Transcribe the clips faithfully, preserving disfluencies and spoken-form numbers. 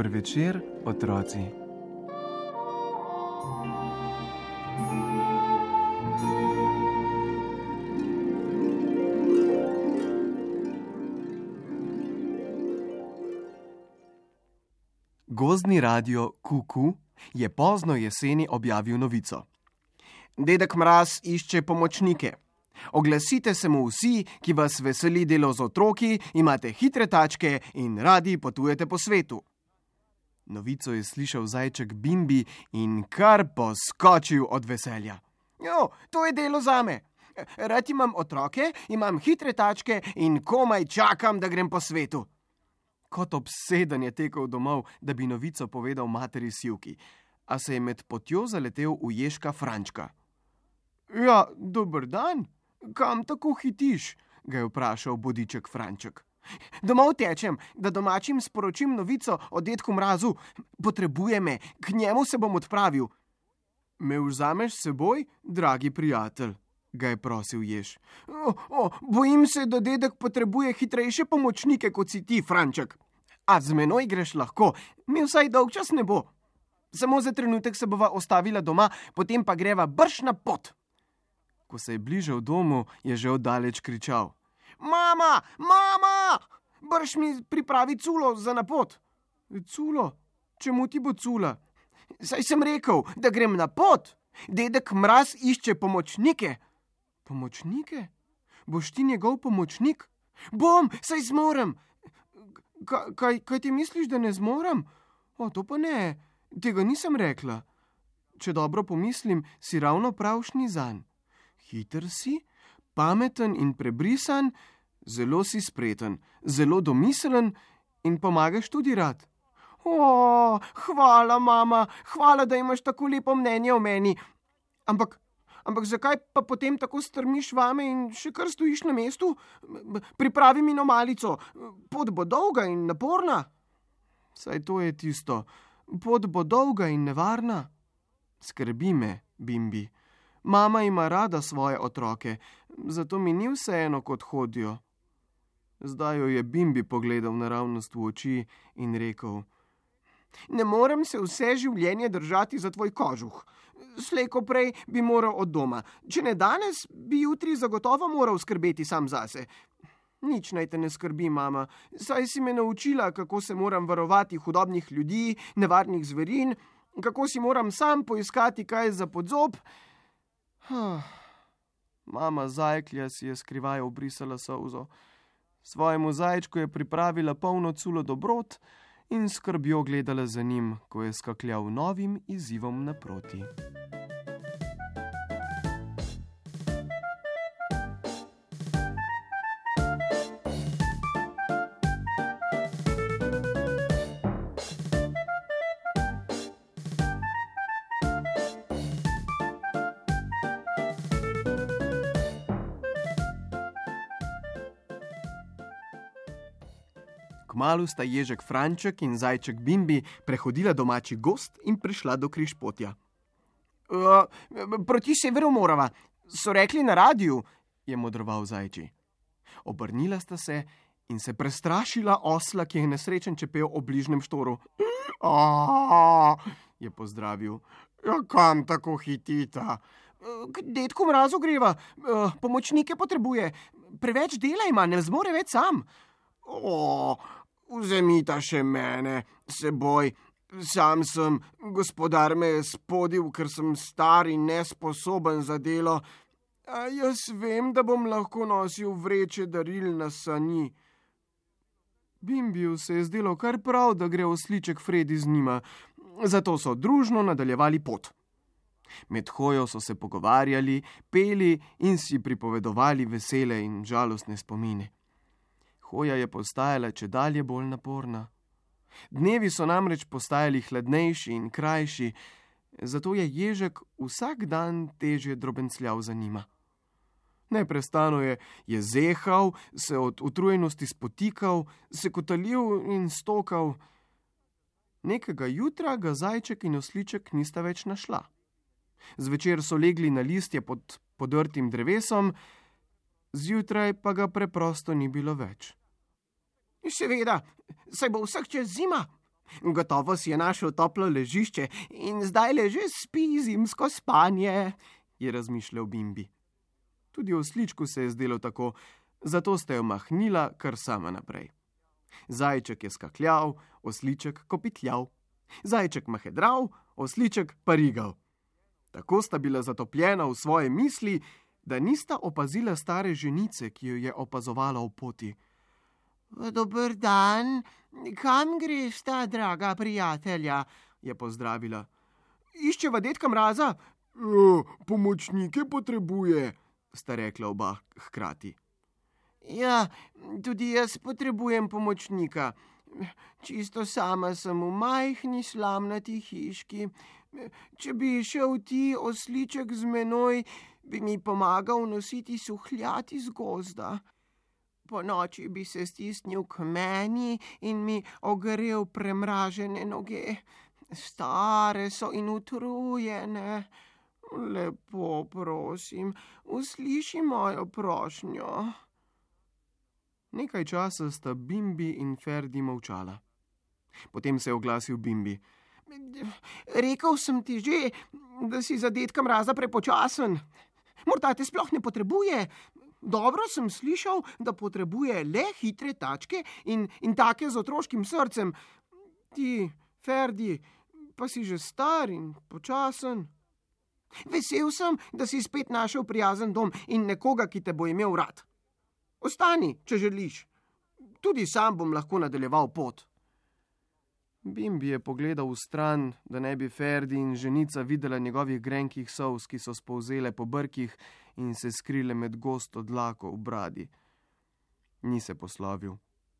Dober večer, otroci. Gozdni radio Kuku je pozno jeseni objavil novico. Dedek Mraz išče pomočnike. Oglasite se mu vsi, ki vas veseli delo z otroki, imate hitre tačke in radi potujete po svetu. Novico je slišal zajček Bimbi in kar poskočil od veselja. Jo, to je delo zame. Rad imam otroke, imam hitre tačke in komaj čakam, da grem po svetu. Kot obseden je tekel domov, da bi novico povedal materi Sivki, a se je med potjo zaletel v Ježka Frančka. Ja, dober dan, kam tako hitiš? Ga je vprašal bodiček Franček. Domov tečem, da domačim sporočim novico o dedku Mrazu. Potrebuje me, k njemu se bom odpravil. Me vzameš s seboj, dragi prijatelj? Ga je prosil Jež. O, o, bojim se, da dedek potrebuje hitrejše pomočnike, kot si ti, Franček. A z menoj greš lahko, mi vsaj dolgčas ne bo. Samo za trenutek se bova ostavila doma, potem pa greva brž na pot. Ko se je bližal domu, je že oddaleč kričal. Mama, mama, brž mi pripravi culo za na pot. Culo? Čemu ti bo cula? Saj sem rekel, da grem na pot. Dedek Mraz išče pomočnike. Pomočnike? Boš ti njegov pomočnik? Bom, saj zmorem. Kaj, kaj, kaj ti misliš, da ne zmorem? O, to pa ne, tega nisem rekla. Če dobro pomislim, si ravno pravšnji zanj. Hiter si, pameten in prebrisan, zelo si spreten, zelo domiselen in pomagaš tudi rad. O, hvala, mama, hvala, da imaš tako lepo mnenje o meni. Ampak, ampak zakaj pa potem tako strmiš vame in še kar stojiš na mestu? Pripravi mi no malico, pot bo dolga in naporna. Saj to je tisto, pot bo dolga in nevarna. Skrbi me, Bimbi. Mama ima rada svoje otroke, zato mi ni vseeno, kot hodijo. Zdaj jo je Bimbi pogledal naravnost v oči in rekel. Ne morem se vse življenje držati za tvoj kožuh. Slej ko prej bi moral od doma. Če ne danes, bi jutri zagotovo moral skrbeti sam zase. Nič naj te ne skrbi, mama. Saj si me naučila, kako se moram varovati hudobnih ljudi, nevarnih zverin, kako si moram sam poiskati kaj za podzob. Mama zajklja si je skrivaj obrisala solzo. Svojemu zajčku je pripravila polno culo dobrot in skrbjo gledala za njim, ko je skakljal novim izzivom naproti. Kmalu sta Ježek Franček in zajček Bimbi prehodila domači gozd in prišla do križpotja. Uh, proti severu morava, so rekli na radiju, je modroval zajči. Obrnila sta se in se prestrašila osla, ki je nesrečen čepel ob bližnjem štoru. Aaaa, je pozdravil. Ja, kam tako hitita? K dedku Mrazu greva, uh, pomočnike potrebuje. Preveč dela ima, ne zmore več sam. O, vzemita še mene, seboj, sam sem, gospodar me je spodil, ker sem star in nesposoben za delo, a jaz vem, da bom lahko nosil vreče daril na sani. Bimbiju se je zdelo kar prav, da gre osliček Fredi z njima, zato so družno nadaljevali pot. Med hojo so se pogovarjali, peli in si pripovedovali vesele in žalostne spomine. Hoja je postajala čedalje bolj naporna. Dnevi so namreč postajali hladnejši in krajši, zato je Ježek vsak dan težje drobencljal za njima. Neprestano je, je zehal, se od utrujenosti spotikal, se kotalil in stokal. Nekega jutra ga zajček in osliček nista več našla. Zvečer so legli na listje pod podrtim drevesom, zjutraj pa ga preprosto ni bilo več. Seveda, saj bo vsak čas zima. Gotovo si je našel toplo ležišče in zdaj leže spi zimsko spanje, je razmišljal Bimbi. Tudi osličku se je zdelo tako, zato sta jo mahnila kar sama naprej. Zajček je skakljal, osliček kopitljal. Zajček mahedral, osliček parigal. Tako sta bila zatopljena v svoje misli, da nista opazila stare ženice, ki jo je opazovala v poti. Dober dan, kam greš ta, draga prijatelja, je pozdravila. Iščeva dedka Mraza. E, pomočnike potrebuje, sta rekla oba hkrati. Ja, tudi jaz potrebujem pomočnika. Čisto sama sem v majhni slamnati hiški. Če bi šel ti, osliček, z menoj, bi mi pomagal nositi suhljat iz gozda. Po noči bi se stisnil k meni in mi ogrel premražene noge. Stare so in utrujene. Lepo prosim, usliši mojo prošnjo. Nekaj časa sta Bimbi in Ferdi molčala. Potem se je oglasil Bimbi. Rekel sem ti že, da si za dedka Mraza prepočasen. Morda te sploh ne potrebuje. Dobro sem slišal, da potrebuje le hitre tačke in, in take z otroškim srcem. Ti, Ferdi, pa si že star in počasen. Vesel sem, da si spet našel prijazen dom in nekoga, ki te bo imel rad. Ostani, če želiš. Tudi sam bom lahko nadaljeval pot. Bimbi je pogledal v stran, da ne bi Ferdi in ženica videla njegovih grenkih solz, ki so spolzele po brkih in se skrile med gosto dlako v bradi. Ni se poslovil,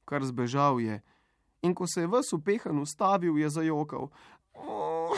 kar zbežal je, in ko se je ves upehan ustavil, je zajokal. Oh,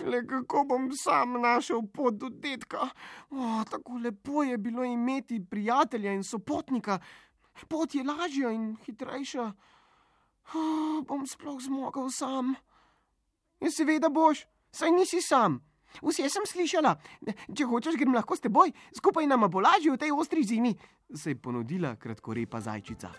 le kako bom sam našel pot do dedka. Oh, tako lepo je bilo imeti prijatelja in sopotnika. Pot je lažja in hitrejša. Oh, bom sploh zmogel sam. Ja, seveda boš, saj nisi sam. Vse sem slišala. Če hočeš, grem lahko s teboj. Skupaj nama bo lažje v tej ostri zimi, se je ponudila kratkorepa zajčica.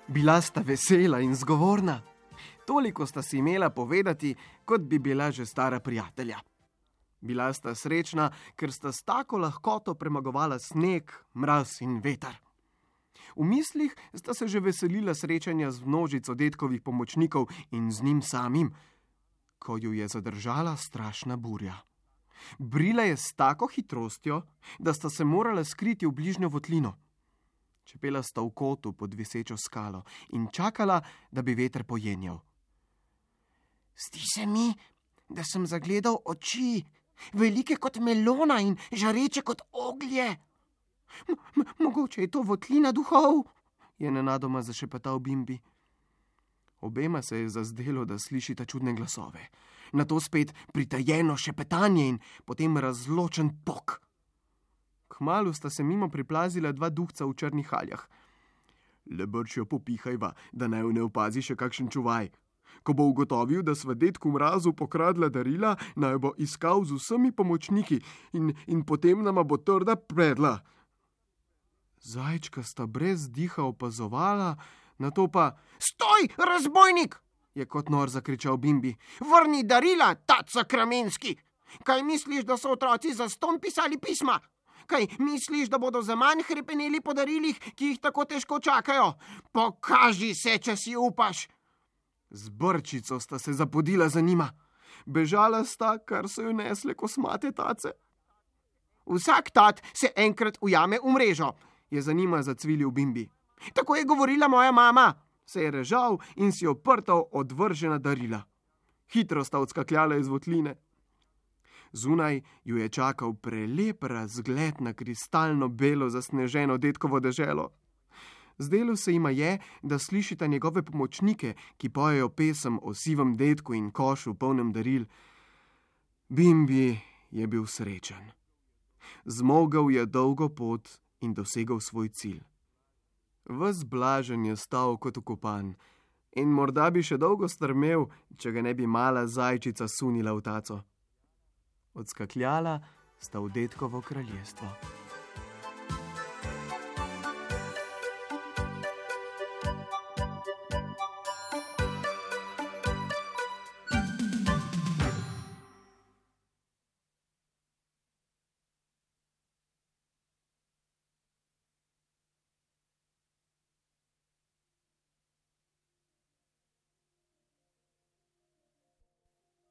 Bila sta vesela in zgovorna. Toliko sta si imela povedati, kot bi bila že stara prijatelja. Bila sta srečna, ker sta s tako lahkoto premagovala sneg, mraz in veter. V mislih sta se že veselila srečanja z množico dedkovih pomočnikov in z njim samim, ko ju je zadržala strašna burja. Brila je s tako hitrostjo, da sta se morala skriti v bližnjo votlino. Čepela sta v kotu pod visečo skalo in čakala, da bi veter pojenjal. Zdi se mi, da sem zagledal oči, velike kot melona in žareče kot oglje. M- mogoče je to votlina duhov, je nenadoma zašepetal Bimbi. Obema se je zazdelo, da slišita čudne glasove. Nato spet pritajeno šepetanje in potem razločen pok. Kmalu sta se mimo priplazila dva duhca v črnih haljah. Le brčjo popihajva, da naj ne opazi še kakšen čuvaj. Ko bo ugotovil, da sva dedku Mrazu pokradla darila, naj bo iskal z vsemi pomočniki in, in potem nama bo trda predla. Zajčka sta brez diha opazovala, nato pa Stoj, razbojnik! Je kot nor zakričal Bimbi. Vrni darila, taca Kramenski! Kaj misliš, da so otroci za ston pisali pisma? Kaj misliš, da bodo za manj hrepeneli po darilih, ki jih tako težko čakajo? Pokaži se, če si upaš! Z brčico sta se zapodila za njima. Bežala sta, kar so jo nesle kosmate tace. Vsak tat se enkrat ujame v mrežo, je za njima zacvilil Bimbi. Tako je govorila moja mama, se je režal in si oprtal odvržena darila. Hitro sta odskakljala iz votline. Zunaj ju je čakal prelep razgled na kristalno belo zasneženo dedkovo deželo. Zdelo se jima je, da slišita njegove pomočnike, ki pojejo pesem o sivem dedku in košu polnem daril. Bimbi je bil srečen. Zmogel je dolgo pot in dosegel svoj cilj. Ves blažen je stal kot ukopan in morda bi še dolgo strmel, če ga ne bi mala zajčica sunila v taco. Odskakljala sta v dedkovo kraljestvo.